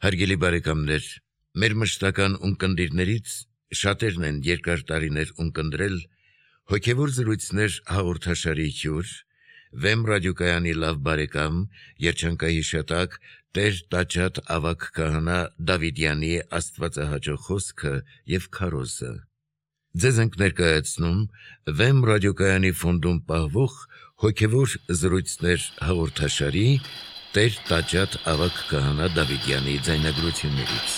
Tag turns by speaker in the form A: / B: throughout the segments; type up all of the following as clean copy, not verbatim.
A: Հարգելի բարեկամներ, մեր մշտական ունկնդիրներից շատերն են երկար տարիներ ունկնդրել հոգևոր զրույցներ հաղորդաշարի հյուր, Վեմ ռադիոկայանի լավ բարեկամ, երջանկայի շատակ Տեր Տաճատ ավագ քահանա Դավիդյանի աստվածահաճո խոսքը եւ քարոզը։ Ձեզ ենք ներկայացնում Վեմ ռադիոկայանի ֆոնդում պահվող հոգևոր զրույցներ հաղորդաշարի Տեր Տաճատ ավագ քահանա Դավիդյանի ձայնագրություններից։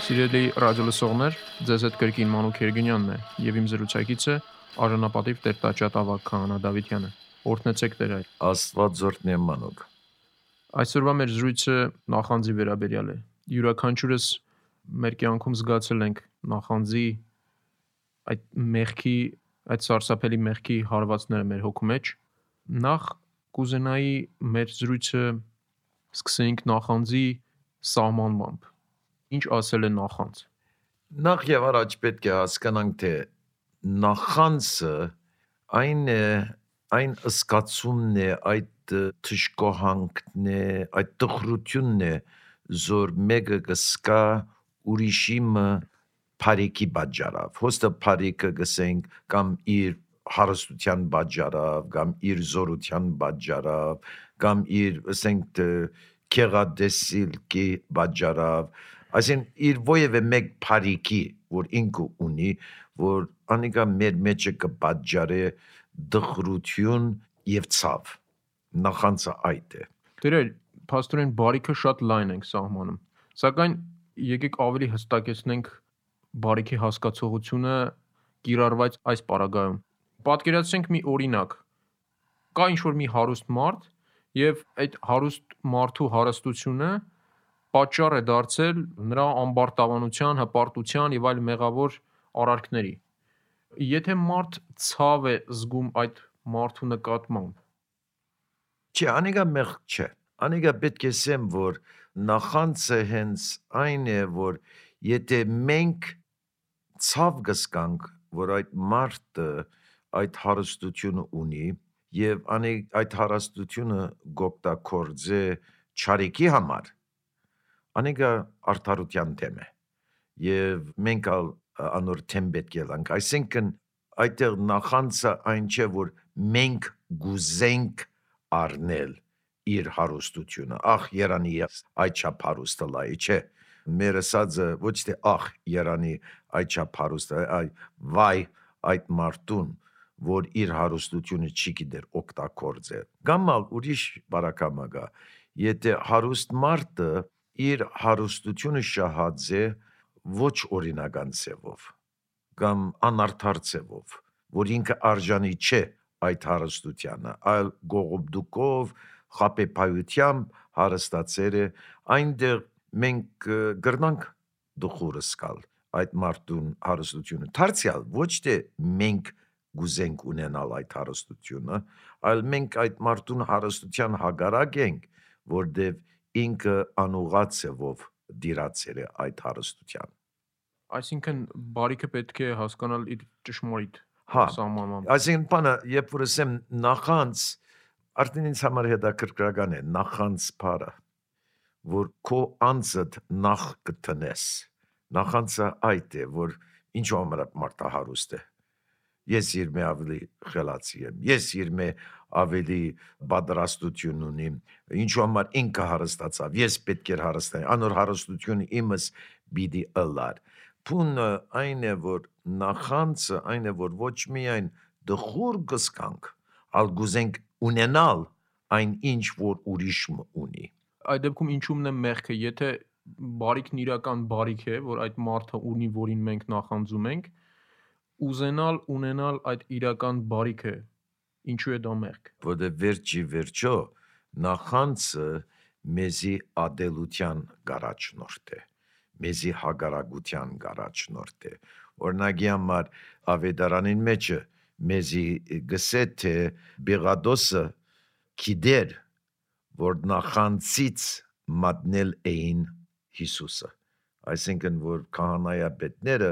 B: Սիրելի ռադիոլսողներ, ձեզ հետ կրկին Մանուկ Երգինյանն է եւ իմ զրուցակիցը արժանապատիվ Տեր Տաճատ ավագ քահանա Դավիդյանը։ Օրհնեցեք Տեր այր։
C: Աստված զորքն է Մանուկ։
B: Այսօրվա մեր զրույցը նախանձի վերաբերյալ է։ Յուրաքանչյուրս մեր կյանքում զգացել ենք նախանձի այդ մեղքի, այդ սարսափելի մեղքի հարվածները մեր հոգու մեջ։ Նախ կուզենայի մեր զրույցը սկսենք նախանձի սահմանմամբ։ Ինչ ասել է նախանձ։
C: Նախ եւ առաջ պետք է հասկանանք, թե նախանձը այն զգացումն է, այդ թշկոհանքն է, այդ տխրությունն է, որ մեկը կսկա ուրիշի բարիքի պատճառով, հոստը բարիքը գսենք կամ իր հարստության պատճառով, կամ իր զորության պատճառով, կամ իր ասենք քեղադեսիլքի պատճառով, այսինքն իր ովևէ մեկ բարիքի, որ ինքը ունի, որ անիկա մեր մեջը կպատճառի դխրություն եւ ցավ։ Նախանձը այդ է։
B: Տերեր, փաստորեն բարիքը շատ լայն ենք սահմանում, սակայն եկեք ավելի հստակեցնենք բարիքի հասկացողությունը կիրառված այս պարագայում։ Պատկերացրենք մի օրինակ։ Կա ինչ-որ մի հարուստ մարդ եւ այդ հարուստ մարդու հարստությունը պատճառ է դարձել նրա ամբարտավանության, հպարտության եւ այլ մեղավոր արարքների։ Եթե մարդ ցավ է զգում այդ մարդու նկատմամբ,
C: Չէ, անիկա մեղք չէ։ Անիկա պետք է ասեմ, որ նախանձը հենց այն է, որ եթե մենք ցավ գսկանք, որ այդ մարդը այդ հարստությունը ունի եւ այդ հարստությունը գոկտակորձե չարիքի համար, անիկա արդարության թեմ է եւ մենք անոր թեմ պետք է լանք, այսինքն այդտեղ նախանձը այն չէ, որ մենք գուզենք առնել իր հարստությունը, ախ երանի այդ չափ հարուստը լայ, չէ, մեր ասածը ոչ թե ախ երանի այդ չափ հարուստը, այ վայ այդ մարդուն, որ իր հարստությունը չի գիտեր օգտագործել։ Կամ ուրիշ բարակամա գա, եթե հարուստ մարդը իր հարստությունը շահած է ոչ օրինական ձևով, կամ անարդար ձևով, որ ինքը արժանի չէ այդ հարստությանը, այլ գողոբդուկով, խապեփայությամբ հարստացել է, այնտեղ մենք գրնանք դխուրը սկալ այդ մարդուն հարստությունը։ Դարձյալ ոչ թե մենք գուզենք ունենալ այդ հարստությունը, այլ մենք այդ մարդուն հարստության հակառակ ենք, որտեվ ինքը անուղղած ձևով դիրացել է այդ հարստության։
B: այսինքն բարիքը պետք է հասկանալ իր ճշմարիտ սահմանմամբ։
C: Այսինքն բանը, երբ որ ասեմ նախանձ, արդեն ինձ համար հետաքրքրական է նախանձ բառը, որ քո անձդ նախ կտնես։ Նախանձը այդ է, որ ինչու համար մարդը հարուստ է։ Ես իր մե ավելի խելացի եմ, ես իր մե ավելի պատրաստություն ունիմ, ինչու համար ինքը հարստացավ, ես պետք է հարստանամ, անոր հարստությունը իմս պիտի ըլլար։ Փունը այն է, որ նախանձը այն է, որ ոչ միայն դխուր կսկանք, այլ գուզենք ունենալ այն ինչ, որ ուրիշը ունի։
B: Այդ դեպքում ինչումն է մեղքը, եթե բարիքն իրական բարիք է, որ այդ մարդը ունի, որին մենք նախանձում ենք, ուզենալ ունենալ այդ իրական բարիքը, ինչու է դա մեղք։
C: Որտեղ վերջի վերջո նախանձը մեզի ադելության գարաչնորդ է, մեզի հագարագության գարաչնորդ է։ Օրինակի համար ավետարանին մեջը մեզի գսե թե Բեղադոսը գիտեր, որ նախանձից մատնել էին Հիսուսը, այսինքն որ քահանայապետները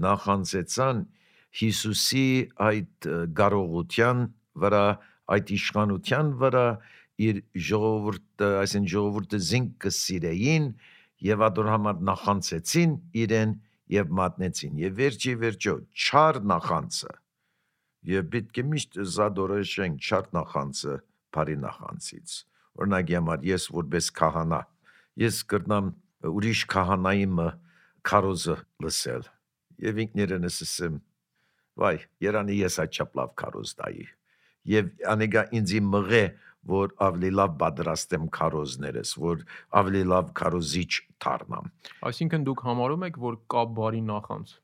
C: նախանձեցան Հիսուսի այդ կարողության վրա, այդ իշխանության վրա իր ժողովուրդը, այսինքն ժողովուրդը զինք կսիրեին եւ ադոր համար նախանցեցին իրեն եւ մատնեցին եւ վերջի չար նախանցը եւ պետք է միշտ զադորոշենք չար նախանցը բարի նախանցից օրինակ համար ես որպես քահանա ես կրնամ ուրիշ քահանայի քարոզը լսել եւ ինքներս ասեմ վայ երանի ես այդ չափլավ քարոզ տայի եւ անեգա ինձի մղե որ ավելի լավ պատրաստեմ քարոզներս որ ավելի լավ քարոզիչ դառնամ
B: Այսինքն դուք համարում եք, որ կա բարի նախանց։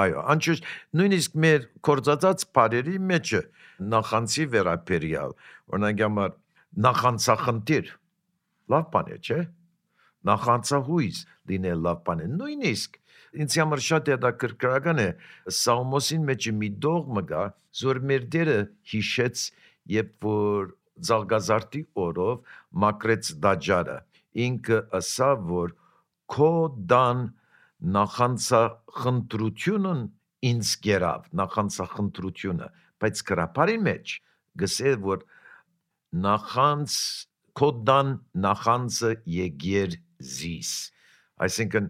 C: Այո, անշուշտ նույնիսկ մեր կորցածած բարերի մեջ նախանցի վերաբերյալ օրինակ համար նախանցախնդիր լավ բան է, չէ՞։ Նախանցահույս լինել լավ բան է։ Նույնիսկ ինձ համար շատ հետաքրքրական է Սաղմոսին մեջ մի դողմ կա, որ մեր Տերը հիշեց, երբ որ Զալգազարտի օրով մակրեց դաջարը։ Ինքը ասավ, որ քո դան նախանցախնդրությունն ինձ գերավ, նախանցախնդրությունը, բայց գրապարի մեջ գսել, որ նախանց քոդան նախանցը եկեր զիս այսինքն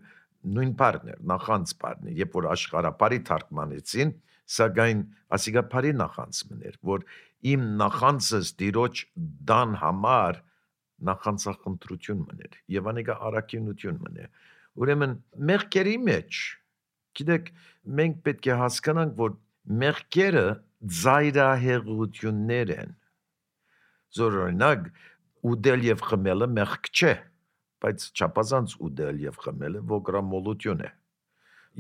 C: նույն բառն էր նախանց բառն է երբ որ աշխարհապարի թարգմանեցին սակայն ասիգա բարի նախանց մներ որ իմ նախանցս դիրոջ դան համար նախանցախնդրություն մներ եւ անիկա արաքինություն մներ ուրեմն մեղքերի մեջ գիտեք մենք պետք է հասկանանք որ մեղքերը ծայրահեղություններ են զորօրինակ ուդել եւ խմելը մեղք չէ, բայց չափազանց ուդել եւ խմելը ոգրամոլություն է։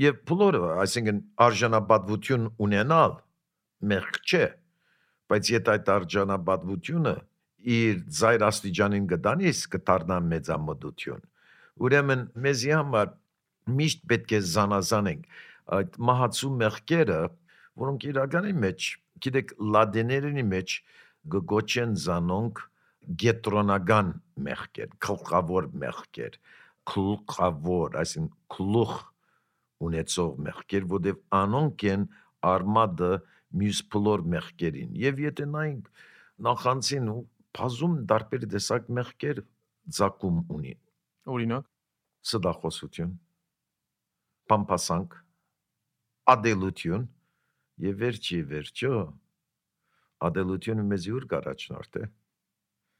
C: Եվ բոլորը, այսինքն արժանապատվություն ունենալ մեղք չէ, բայց եթե այդ արժանապատվությունը իր ծայր աստիճանին գտանից կդառնա մեծամտություն։ Ուրեմն մեզի համար միշտ պետք է զանազանենք այդ մահացու մեղքերը, որոնք իրականի մեջ, գիտեք, լատիներենի մեջ գոչեն զանոնք գետրոնական մեղքեր, քլխավոր մեղքեր, քլխավոր, այսինքն քլուխ ունեցող մեղքեր, որտեղ անոնք են արմատը մյուս բոլոր մեղքերին։ Եվ եթե նայենք նախանցին ու բազում տարբեր տեսակ մեղքեր ցակում ունի։
B: Օրինակ,
C: Սդախոսություն, պամպասանք, ադելություն եւ վերջո ադելությունը մեզ ուր գարաչնորդ է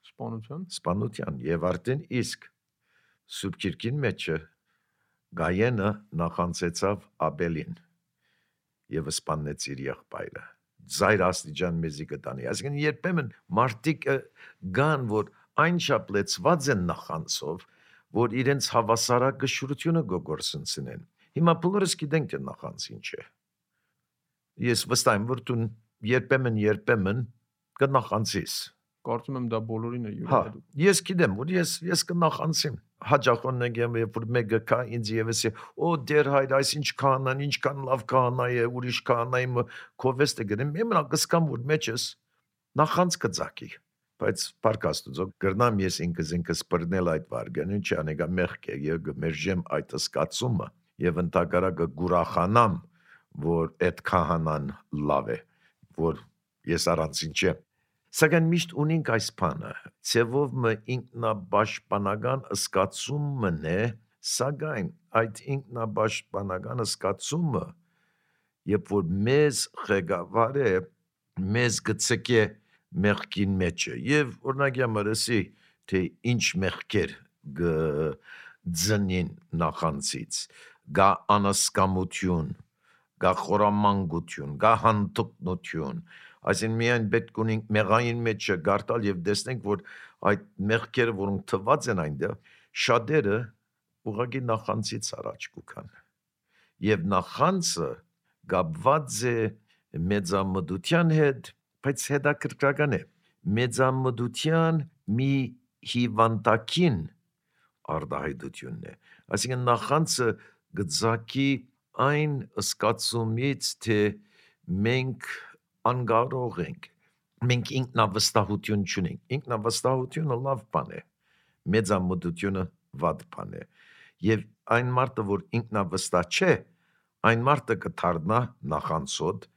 C: սպանության եւ արդեն իսկ Սուրբ Գիրքին մեջ Գայենը նախանցեցավ Աբելին եւ սպանեց իր եղբայրը ծայր աստիճան մեզի կտանի այսինքն երբեմն մարդիկ գան որ այն շապլեցված են նախանցով որ իրենց հավասարակշռությունը գողորսնցնեն հիմա բոլորս գիտենք թե նախանց ինչ է ես վստահ եմ որ դու երբեմն կնախանցիս
B: կարծում եմ դա բոլորին է յուրահատուկ։
C: Ես գիտեմ, որ ես կնախանցեմ։ Հաջախոնն եմ երբ որ մեկը կա ինձ եւս է, օ դեր հայր, այս ինչ քահանան, ինչքան լավ քահանա է, ուրիշ քահանայի կովեստ է գնեմ, իմնա կսկամ որ մեջս նախանց կծակի։ Բայց պարկաստուծո գրնամ ես ինքս բռնել այդ վարգանին, չանեգա մեղք է, եւ գմերժեմ այդ սկացումը եւ ընդհակառակը գուրախանամ, որ այդ քահանան լավ է, որ ես առանցին չեմ։ Սակայն միշտ ունենք այս բանը, ցևով մը ինքնաբաշխանական սկացումն է, սակայն այդ ինքնաբաշխանական սկացումը, երբ որ մեզ ղեկավար է, մեզ գցկե մեղքին մեջը, եւ օրինակ ամրսի, թե ինչ մեղքեր գձնին նախանցից, գա անասկամություն, գա խորամանկություն, գա հանդուկնություն, այսին միայն պետք ունենք մեղային մեջը գարտալ եւ տեսնենք որ այդ մեղքերը որոնք թված են այնտեղ շատերը ուղղակի նախանցից առաջ կուքան եւ նախանցը գաբված է մեծամտության հետ բայց հետաքրքրական է մեծամտության մի հիվանդակին արդահայտությունն է այսինքն նախանցը գծակի այն սկացումից թե մենք անգարող ենք, մենք ինքնավստահություն չունենք, ինքնավստահությունը լավ բան է, մեծամտությունը վատ բան է, և այն մարդը, որ ինքնավստահ չէ, Այն մարդը կդառնա նախանցոտ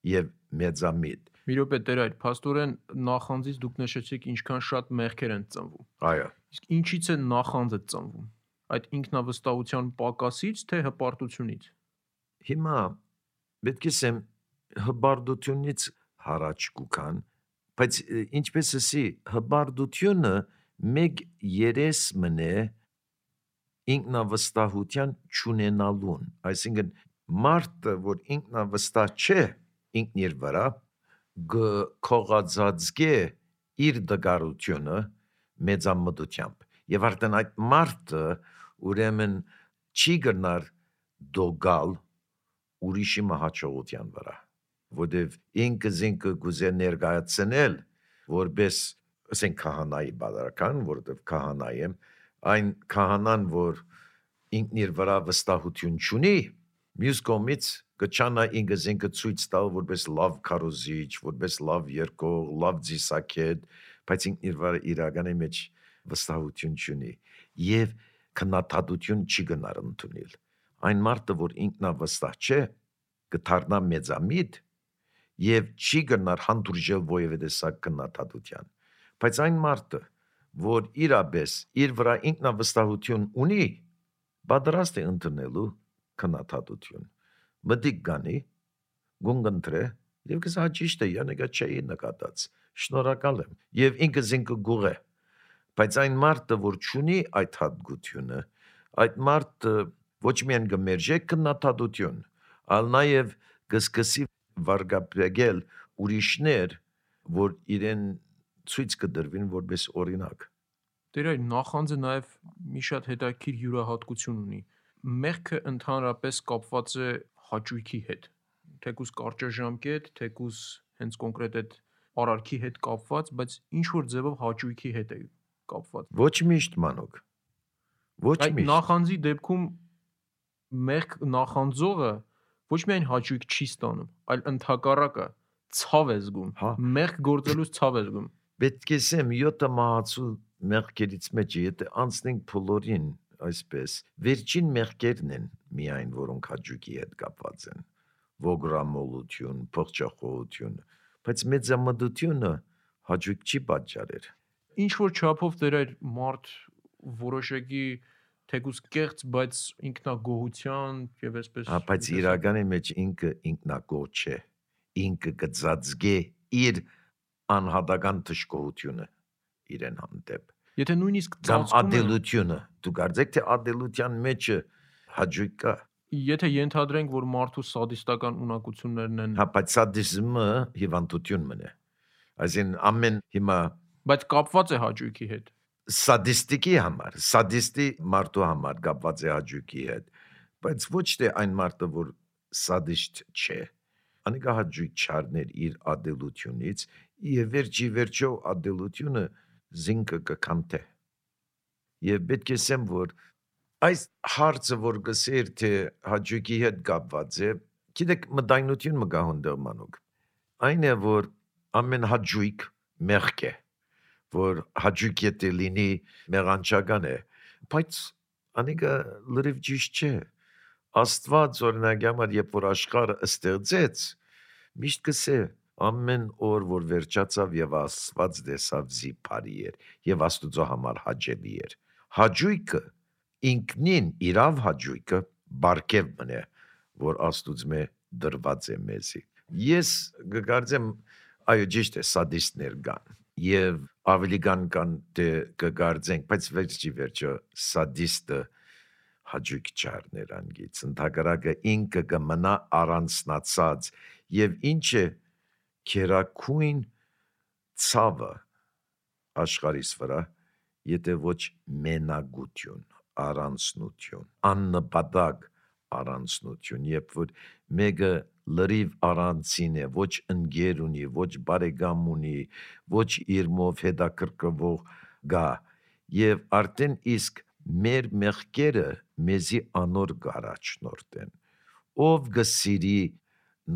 C: եւ մեծամիտ։
B: Մի րոպե Տեր այդ փաստորեն նախանձից դուք նշեցիք ինչքան շատ մեղքեր են ծնվում։
C: Այո։
B: Իսկ ինչից է նախանձը ծնվում։ Այդ ինքնավստահության պակասից թե հպարտությունից։
C: Հիմա պետք է ասեմ հբարդությունից հարաճ կուքան, բայց ինչպես ասի, հբարդությունը մեկ երես մնե ինքնավստահության չունենալուն, այսինքն մարդը, որ ինքնավստահ չէ ինքն իր վրա, կողածածկե իր դգարությունը մեծամտությամբ, եւ արդեն այդ մարդը ուրեմն չի գնար դոգալ ուրիշի մահաճողության վրա, որտեվ ինքը գուզե ներկայացնել որպես ասենք քահանայի բادرական, որտեվ քահանա եմ, այն քահանան, որ ինքն իր վրա վստահություն չունի, մյուս կողմից կչանա ինքը ցույց տալ որպես լավ քարոզիչ, որպես լավ երկող, լավ ձիսակետ, բայց ինքն իր վրա իրականի մեջ վստահություն չունի եւ քննադատություն չի գնար ընդունել։ Այն մարդը, որ ինքնավստահ չէ, կդառնա մեծամիտ եւ չի գնար հանդուրժել որևէ տեսակ քննադատության։ Բայց այն մարդը, որ իրապես իր վրա ինքնավստահություն ունի, պատրաստ է ընդունելու քննադատություն։ Մտիկ գանի, գունգընտրե եւ կսա ճիշտ է, յանեկա չէի նկատած։ Շնորհակալ եմ եւ ինքը գուղե։ Բայց այն մարդը, որ չունի այդ հատկությունը, այդ մարդը ոչ միայն կմերժե քննադատություն, այլ նաեւ կսկսի վարգապետել ուրիշներ, որ իրեն ցույց կդրվին որպես օրինակ։
B: Տեր այդ նախանձը նաև մի շատ հետաքրքիր յուրահատկություն ունի։ Մեղքը ընդհանրապես կապված է հաճույքի հետ։ Թեկուզ կարճաժամկետ, թեկուզ հենց կոնկրետ այդ արարքի հետ կապված, բայց ինչ որ ձևով հաճույքի հետ է կապված։
C: Ոչ միշտ մանուկ։ Ոչ
B: Այդ
C: միշտ։
B: նախանձի դեպքում մեղք նախանձողը ոչ միայն հաճույք չի ստանում, այլ ընդհակառակը ցավ է զգում։
C: Հա։
B: Մեղք գործելուց ցավ է զգում։
C: Պետք է ասեմ 7 մահացու մեղքերից մեջ եթե անցնենք փոլորին այսպես վերջին մեղքերն են միայն որոնք հաճույքի հետ կապված են ոգրամոլություն, փոխճախողություն, բայց մեծամտությունը հաճույք չի պատճառեր։
B: Ինչ որ չափով դեր այդ մարդ որոշակի թեկուզ կեղծ, բայց ինքնագոհության եւ այսպես
C: Հա, բայց իրականի մեջ ինքը ինքնագոհ չէ։ Ինքը կծածկե իր անհատական թշկողությունը իրեն հանդեպ։
B: Եթե նույնիսկ
C: Կամ
B: ծածկում է,
C: ադելությունը, դու կարծեք թե ադելության մեջ հաճույք կա։
B: եթե ենթադրենք, որ մարդու սադիստական ունակություններն են,
C: Հա, բայց սադիզմը հիվանդություն մնե։ Այսին ամեն հիմա
B: բայց կապված է հաճույքի հետ։
C: սադիստիկի համար, սադիստի մարդու համար կապված է հաճույքի հետ, բայց ոչ թե այն մարդը, որ սադիստ չէ, անիկա հաճույք չառներ իր ադելությունից, եւ վերջո ադելությունը զինքը կքանթե։ Եվ պետք է ասեմ, որ այս հարցը, որ գսեր թե հաճույքի հետ կապված է, գիտեք մտայնություն մը գա հոնդեր մանուկ։ Այն է, որ ամեն հաճույք մեղք է, որ հաճույք եթե լինի մեղանչական է, բայց անիկա լրիվ ճիշտ չէ։ Աստված օրինակ համար երբ որ աշխարհը ստեղծեց, միշտ կսե ամեն օր որ վերջացավ եւ Աստված դեսավ զիփարի էր եւ Աստուծո համար հաճելի էր։ Հաճույքը ինքնին իրավ հաճույքը բարգև մնե, որ Աստուծմե դրված է մեզի։ Ես կգարձեմ այո ճիշտ է սադիստներ կան եւ ավելի կան դե կգարձենք, բայց վերջո սադիստը հաճույք չառներ անգից, ընդհակառակը ինքը կմնա առանցնացած եւ ինչ է քերակույն ցավը աշխարհիս վրա, եթե ոչ մենագություն, առանցնություն, աննպատակ առանցնություն, երբ որ մեկը լրիվ առանցին է, ոչ ընկեր ունի, ոչ բարեկամ ունի, ոչ իր մով հետաքրքրվող գա, եւ արդեն իսկ մեր մեղքերը մեզի անոր գարաչնորտեն, ով գսիրի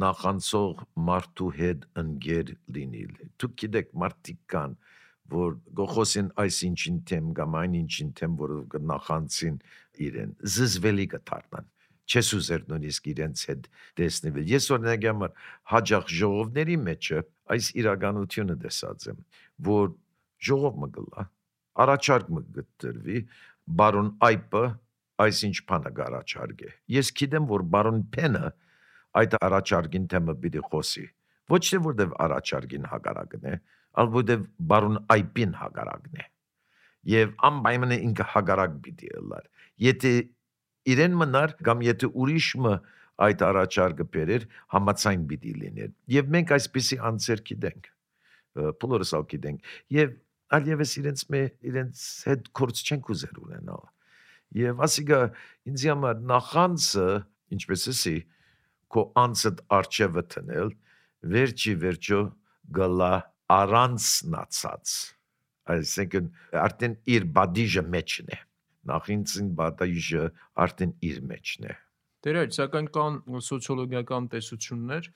C: նախանցող մարդու հետ ընկեր լինիլ։ Դուք գիտեք մարդիկ կան, որ գոխոսին այսինչին թեմ կամ այնինչին թեմ, որ նախանցին իրեն, զզվելի կդառնան։ չես ուզեր նույնիսկ իրենց հետ տեսնել։ Ես օրինակ համար հաջող ժողովների մեջը այս իրականությունը տեսած եմ, որ ժողով մը գլա, առաջարկ մը գտրվի, բարոն Այպը այսինչ բանը առաջարկե։ Ես գիտեմ, որ բարոն Փենը այդ առաջարկին թեմը պիտի խոսի։ Ոչ թե որտեվ առաջարկին հակառակն է, այլ որտեվ բարոն Այպին հակառակն է։ Եվ անպայման ինքը հակառակ պիտի ըլլար։ Եթե իրեն մնար կամ եթե ուրիշը այդ առաջարկը բերեր, համաձայն պիտի լիներ։ Եվ մենք այսպիսի անձեր գիտենք, բոլորս ալ գիտենք։ Եվ այլևս իրենց հետ կորց չենք ուզեր ունենալ։ Եվ ասիկա ինձ համար նախանձը, ինչպես էսի, քո անձդ արջևը տնել, վերջո գլա առանցնացած։ Այսինքն արդեն իր բադիժը մեջն է։ Նախինցին բադիժը արդեն իր մեջն է։
B: Դերեր, սակայն կան սոցիոլոգիական տեսություններ,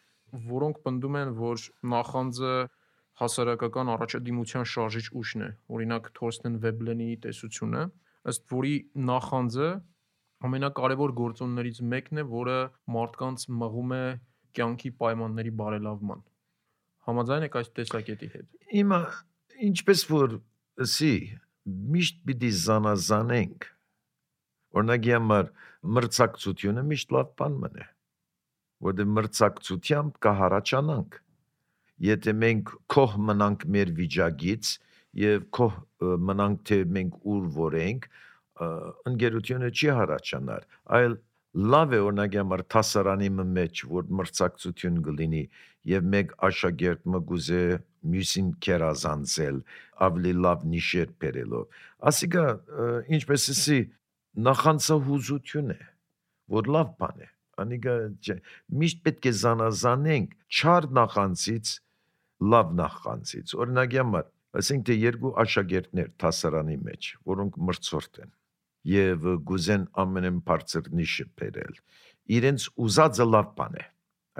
B: որոնք պնդում են, որ նախանձը հասարակական առաջադիմության շարժիչ ուժն է։ Օրինակ Թորստեն Վեբլենի տեսությունը, ըստ որի նախանձը ամենակարևոր գործոններից մեկն է, որը մարդկանց մղում է կյանքի պայմանների բարելավման։ Համաձայն եք այս տեսակետի հետ։
C: Հիմա ինչպես որ ասի, միշտ պիտի զանազանենք։ Օրինակ համար մրցակցությունը միշտ լավ բան մնե, որտեղ մրցակցությամբ կհառաջանանք։ Եթե մենք քոհ մնանք մեր վիճակից եւ քոհ մնանք թե մենք ուր որ ենք, ընկերությունը չի հառաջանար, այլ լավ է օրինակ համար տասարանի մեջ որ մրցակցություն կլինի եւ մեկ աշակերտ մգուզե մյուսին կերազանցել ավելի լավ նիշեր բերելով ասիկա ինչպես էսի նախանցահուզություն է որ լավ բան է անիկա միշտ պետք է զանազանենք չար նախանցից լավ նախանցից օրինակ համար ասենք թե երկու աշակերտներ տասարանի մեջ որոնք մրցորդ են եւ գուզեն ամենեն բարձր նիշը բերել իրենց ուզածը լավ բան է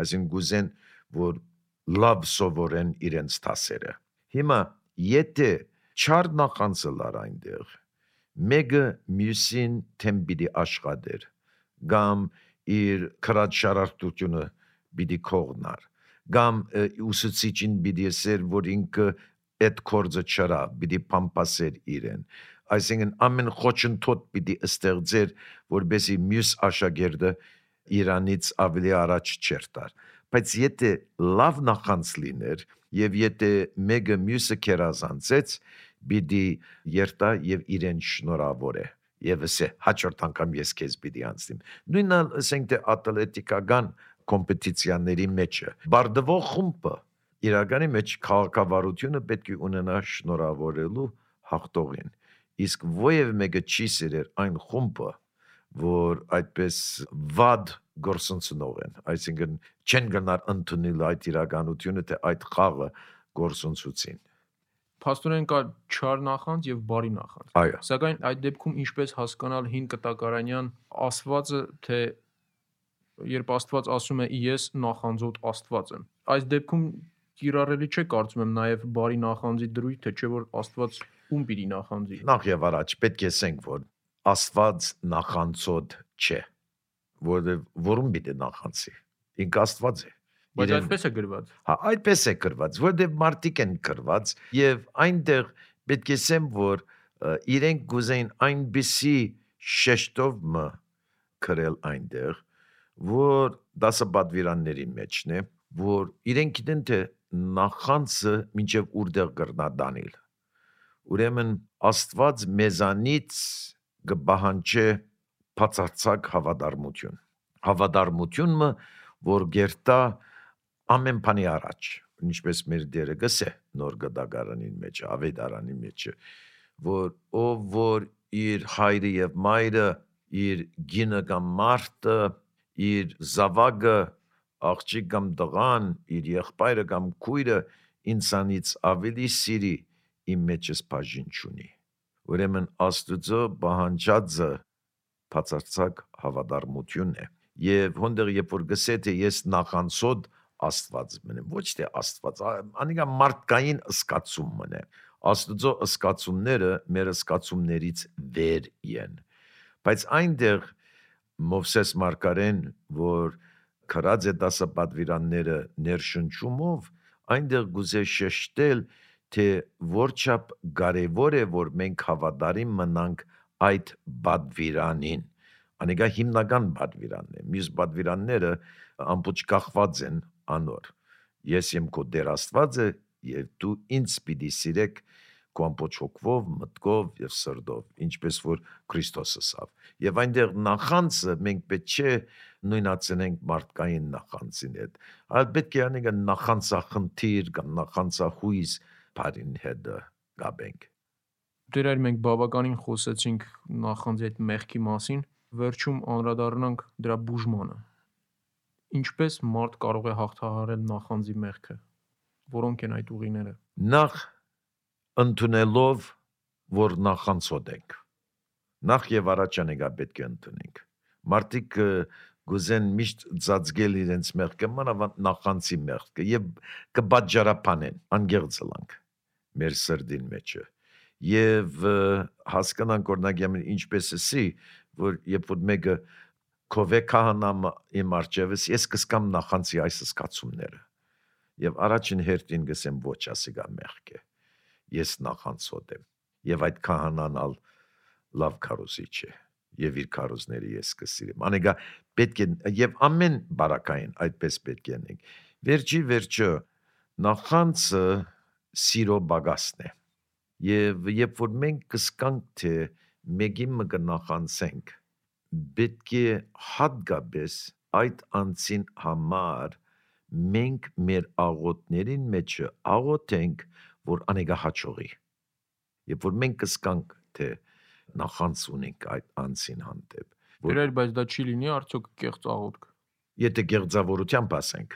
C: այսինքն գուզեն որ լավ սովորեն իրենց տասերը հիմա եթե չար նախանցը լար այնտեղ մեկը մյուսին թեմբիդի աշխատեր կամ իր քրած շարարտությունը պիտի կողնար կամ ուսուցիչին պիտի ասեր որ ինքը այդ կորձը չրա պիտի փամփասեր իրեն այսինքն ամեն խոչընդոտ պիտի ստեղծեր որբեսի մյուս աշակերտը իրանից ավելի առաջ չերտար բայց եթե լավ նախանց լիներ եւ եթե մեկը մյուսը կերազանցեց պիտի երտա եւ իրեն շնորհավոր է եւ ասե հաջորդ անգամ ես քեզ պիտի անցնեմ նույնը ասենք թե ատլետիկական կոմպետիցիաների մեջը բարդվող խումբը իրականի մեջ քաղաքավարությունը պետք է ունենա շնորհավորելու հաղթողին իսկ ովև մեկը չի սիրեր այն խումբը որ այդպես վատ գործընծնող են այսինքն չեն գնար ընդունել այդ իրականությունը թե այդ խաղը գործընծուցին
B: Փաստորեն կա չար նախանձ եւ բարի նախանձ
C: այո
B: սակայն այդ դեպքում ինչպես հասկանալ հին կտակարանյան ասվածը թե երբ Աստված ասում է ես նախանձոտ Աստված եմ այս դեպքում կիրառելի չէ կարծում եմ նաեւ բարի նախանձի դրույթը չէ որ Աստված ում պիտի նախանձի
C: նախ եւ առաջ պետք է ասենք որ Աստված նախանձոտ չէ որում պիտի նախանձի ինք Աստված է
B: բայց այդպես է գրված
C: հա այդպես է գրված որտեղ մարդիկ են գրված եւ այնտեղ պետք է ասեմ որ իրենք գուզեին այնպիսի շեշտով մը գրել այնտեղ որ դասապատվիրանների մեջն է որ իրենք գիտեն թե նախանձը մինչև ուրդեղ գրնադանել ուրեմն Աստված մեզանից կբահանջե բացարձակ հավատարմությունը որ գերտա ամեն բանի առաջ ինչպես մեր դերը գսե նոր գդագարանին մեջ ավետարանի մեջ որ ով որ իր հայրը եւ մայրը իր գինը կամ մարդը իր զավակը աղջիկ կամ տղան իր եղբայրը կամ քույրը ինձանից ավելի սիրի իմ մեջս բաժին չունի ուրեմն Աստուծո բանջածը բացարձակ հավատարմություն է եւ հոնդեր երբ որ գսե թե ես նախանցոտ Աստված մնեմ ոչ թե Աստված անիկա մարդկային ըսկացում մնե Աստուծո ըսկացումները մեր ըսկացումներից վեր են բայց այնտեղ Մովսես Մարգարեն, որ քրած է դասապատվիրանները ներշնչումով, այնտեղ գուզե շեշտել, թե որչափ կարևոր է, որ մենք հավատարիմ մնանք այդ պատվիրանին։ Անիկա հիմնական պատվիրանն է։ Մյուս պատվիրանները ամբողջ կախված են անոր։ Ես եմ քո Տեր Աստվածը, եւ դու ինձ պիտի սիրեք քո ամբողջ հոգով, մտքով եւ սրտով, ինչպես որ Քրիստոսը սավ։ Եվ այնտեղ նախանցը մենք պետք չէ նույնացնենք մարդկային նախանցին հետ, այլ պետք է անիկա նախանցախնդիր կամ նախանցախույս բարին հետ գաբենք։
B: Դերայր մենք բավականին խոսեցինք նախանձի այդ մեղքի մասին, վերջում անդրադառնանք դրա բուժմանը։ Ինչպես մարդ կարող է հաղթահարել նախանձի մեղքը։ Որոնք են այդ ուղիները։
C: Նախ ընդունելով, որ նախանցոտ ենք։ Նախ եւ առաջ անիկա պետք է ընդունենք։ Մարդիկ գուզեն միշտ ծածկել իրենց մեղքը, մանավանդ նախանցի մեղքը, եւ կբաժարապանեն, անգերձլանք մեր սրդին մեջը։ Եվ հասկանանք օրնագիամին ինչպես էսի, որ երբ որ մեկը քովե քահանամ իմ արջևս, ես կսկամ նախանցի այս սկացումները։ Եվ առաջին հերթին գսեմ ոչ ասիգա մեղք է։ Ես նախանցոտ եմ։ Եվ այդ քահանան լավ քարոզիչ է։ Եվ իր քարոզները ես կսիրեմ։ Անիկա պետք է եւ ամեն բարակային այդպես պետք է անենք։ Վերջի վերջը նախանցը սիրո բագասն է։ Եվ երբ որ մենք կսկանք թե մեկին մը կնախանցենք, պետք է հատկապես այդ անձին համար մենք մեր աղոթներին մեջը աղոթենք, որ անիկա հաջողի։ Երբ որ մենք կսկանք թե նախանց ունենք այդ անձին հանդեպ,
B: Դերայր, բայց դա չի լինի արդյոք կեղծ աղոթք։
C: եթե գեղձավորությամբ ասենք,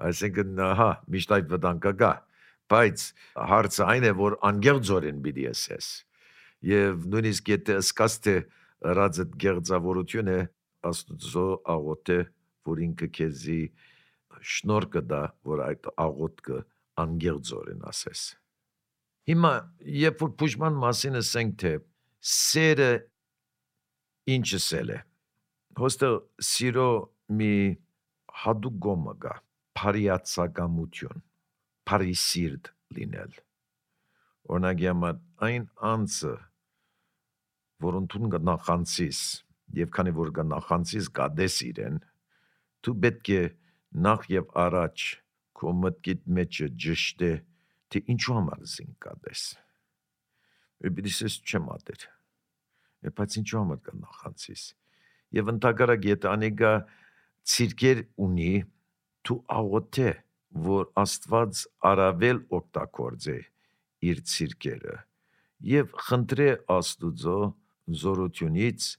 C: այսինքն հա, միշտ այդ վտանգը կա, բայց հարցը այն է, որ անգեղձորեն պիտի ասես։ Եվ նույնիսկ եթե սկաց թե ըրածդ գեղձավորություն է, Աստծո աղոթը, որ ինքը քեզի շնորհ կտա, որ այդ աղոթքը անգեղձորեն ասես։ Հիմա երբ որ բուժման մասին ասենք թե սերը ինչը սել է, հոստը սիրո մի հատուկ գոմը կա, փարիացակամություն, փարիսիրտ լինել։ Օրնագյամա այն անձը, որոնց նախանցիս, եւ քանի որ նախանցիս գադես իրեն, դու պետք է նախ եւ առաջ քո մտքիդ մեջը ճշտե, թե ինչու համար զին գադես։ Բիդիսես չեմ ադեր։ Բայց ինչու համար կա նախանցիս։ Եվ ընդհակառակ եթե անիկա ցիրկեր ունի, դու աղոթե, որ Աստված արավել օգտագործե իր ցիրկերը եւ խնդրե Աստուծո զորությունից,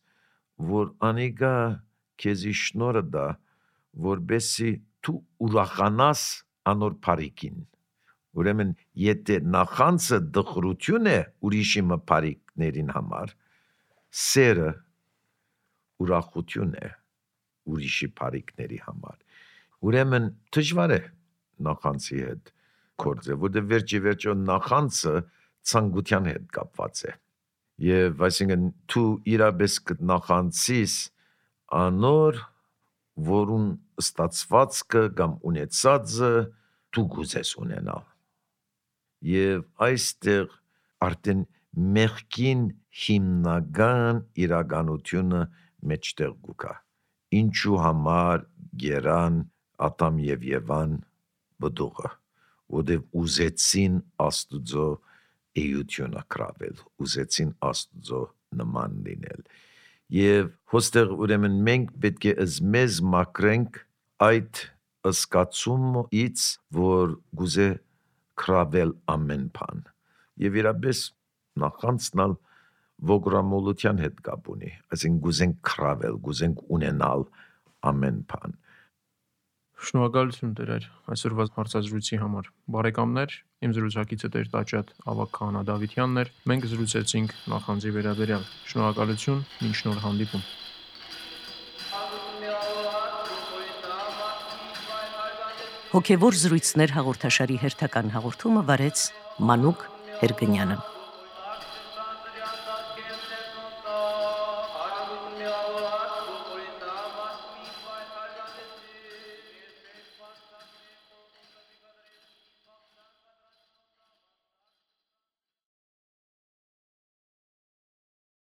C: որ անիկա քեզի շնորհը դա, որբեսի դու ուրախանաս անոր բարիկին։ Ուրեմն եթե նախանցը դխրություն է ուրիշի բարիկներին համար, սերը ուրախություն է ուրիշի բարիկների համար։ Ուրեմն դժվար է նախանցի հետ կորձը, որտեղ վերջի նախանցը ցանկության հետ կապված է։ Եվ այսինքն դու իրապես կնախանցիս անոր, որուն ստացվածքը կամ ունեցածը դու գուզես ունենալ։ Եվ այստեղ արդեն մեղքին հիմնական իրականությունը մեջտեղ գուկա։ Ինչու համար գերան Ադամ եւ Եվան բդուղը, որտեղ ուզեցին Աստուծո էությունը կրավել, ուզեցին Աստուծո նման լինել։ Եվ հոստեղ ուրեմն մենք պետք է մեզ մաքրենք այդ ըսկացումից, որ գուզե կրավել ամեն բան։ Եվ իրապես նախանցնալ ոգրամոլության հետ կապ ունի, այսինքն գուզենք կրավել, գուզենք ունենալ ամեն բան։
B: Շնորհակալություն Տեր այսօրվա հարցազրույցի համար։ Բարեկամներ, իմ զրուցակիցը Տեր Տաճատ Ավագ Քահանա Դավիթյանն էր։ Մենք զրուցեցինք նախանձի վերաբերյալ։ Շնորհակալություն, մինչ նոր հանդիպում։
D: Հոգևոր զրույցներ հաղորդաշարի հերթական հաղորդումը վարեց Մանուկ Հերգնյանը։